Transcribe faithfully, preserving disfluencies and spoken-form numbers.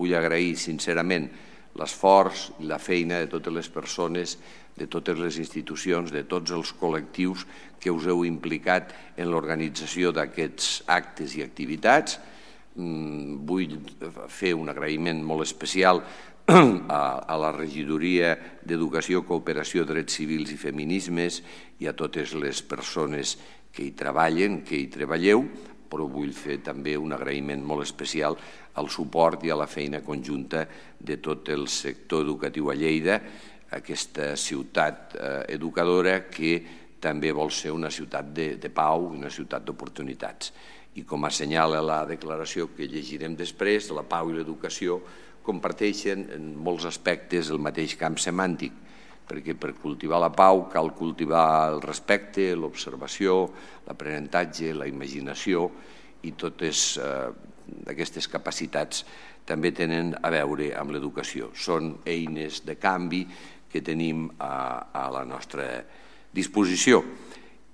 vull agrair sincerament l'esforç i la feina de totes les persones, de totes les institucions, de tots els col·lectius que us heu implicat en l'organització d'aquests actes i activitats. Vull fer un agraïment molt especial a la Regidoria d'Educació, Cooperació, Drets Civils i Feminismes i a totes les persones que hi treballen, que hi treballeu, però vull fer també un agraïment molt especial al suport i a la feina conjunta de tot el sector educatiu a Lleida, aquesta ciutat educadora que també vol ser una ciutat de pau i una ciutat d'oportunitats. I com assenyala la declaració que llegirem després, la pau i l'educació comparteixen en molts aspectes el mateix camp semàntic, perquè per cultivar la pau cal cultivar el respecte, l'observació, l'aprenentatge, la imaginació, i totes aquestes capacitats també tenen a veure amb l'educació. Són eines de canvi que tenim a la nostra disposició.